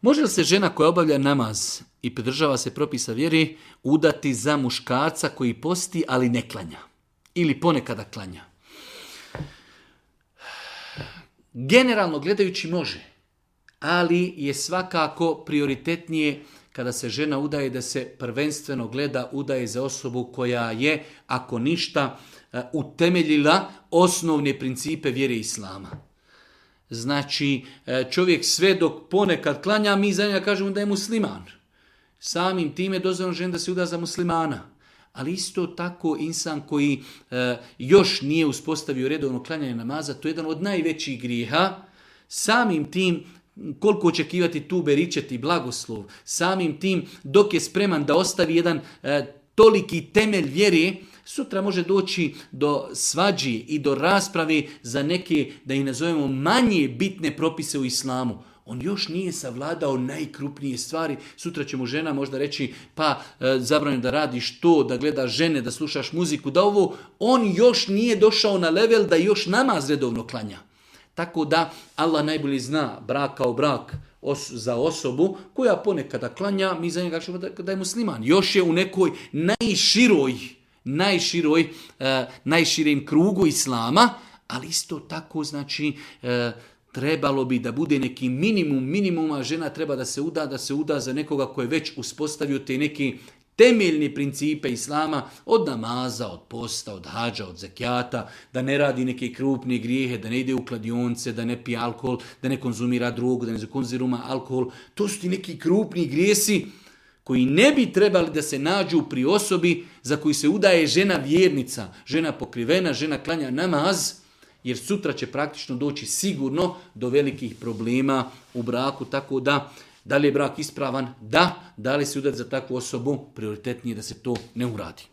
Može li se žena koja obavlja namaz i pridržava se propisa vjeri udati za muškarca koji posti, ali ne klanja? Ili ponekada klanja? Generalno gledajući može, ali je svakako prioritetnije kada se žena udaje da se prvenstveno gleda udaje za osobu koja je, ako ništa, utemeljila osnovne principe vjere Islama. Znači, čovjek sve dok ponekad klanja, mi za njega kažemo da je musliman. Samim time dozvoljeno žena da se uda za muslimana. Ali isto tako insan koji još nije uspostavio redovno klanjanje namaza, to je jedan od najvećih grijeha. Samim tim, koliko očekivati tu beričet i blagoslov, samim tim dok je spreman da ostavi jedan toliki temelj vjere, sutra može doći do svađi i do rasprave za neke, da ih nazovemo, manje bitne propise u islamu. On još nije savladao najkrupnije stvari. Sutra će mu žena možda reći, pa zabranjeno da radiš to, da gledaš žene, da slušaš muziku, da ovo. On još nije došao na level da još namaz redovno klanja. Tako da Allah najbolje zna brak kao brak za osobu koja ponekada klanja, mi za njega kažemo da je musliman. Još je u nekoj najširem krugu islama, ali isto tako znači trebalo bi da bude neki minimuma, žena treba da se uda za nekoga koji je već uspostavio te neki temeljni principe islama, od namaza, od posta, od hadža, od zekijata, da ne radi neke krupne grijehe, da ne ide u kladionce, da ne pije alkohol, da ne konzumira drogu, da ne konzumira alkohol. To su ti neki krupni grijesi koji ne bi trebali da se nađu pri osobi za koju se udaje žena vjernica, žena pokrivena, žena klanja namaz, jer sutra će praktično doći sigurno do velikih problema u braku, tako da li je brak ispravan? Da li se udati za takvu osobu? Prioritetnije da se to ne uradi.